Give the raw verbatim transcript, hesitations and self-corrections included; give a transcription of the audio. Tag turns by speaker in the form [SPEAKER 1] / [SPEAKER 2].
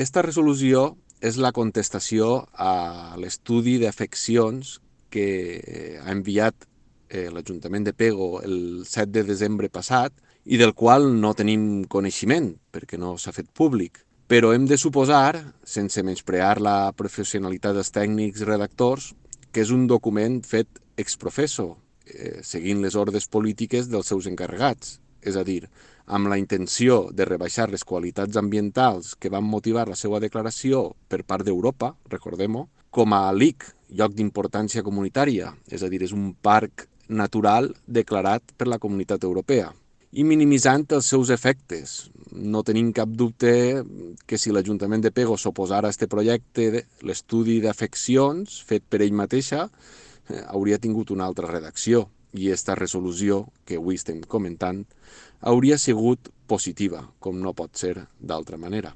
[SPEAKER 1] Esta resolució és la contestació a l'estudi d'afeccions que ha enviat eh, l'Ajuntament de Pego el set de desembre passat i del qual no tenim coneixement perquè no s'ha fet públic. Però hem de suposar, sense menysprear la professionalitat dels tècnics redactors, que és un document fet ex professo, eh, seguint les ordres polítiques dels seus encarregats. És a dir, amb la intenció de rebaixar les qualitats ambientals que van motivar la seva declaració per part d'Europa, recordem-ho, com a L I C, lloc d'importància comunitària, és a dir, és un parc natural declarat per la Comunitat Europea, i minimitzant els seus efectes. No tenim cap dubte que si l'Ajuntament de Pego s'oposara a aquest projecte, l'estudi d'afeccions fet per ell mateixa eh, hauria tingut una altra redacció i aquesta resolució que avui estem comentant hauria sigut positiva, com no pot ser d'altra manera.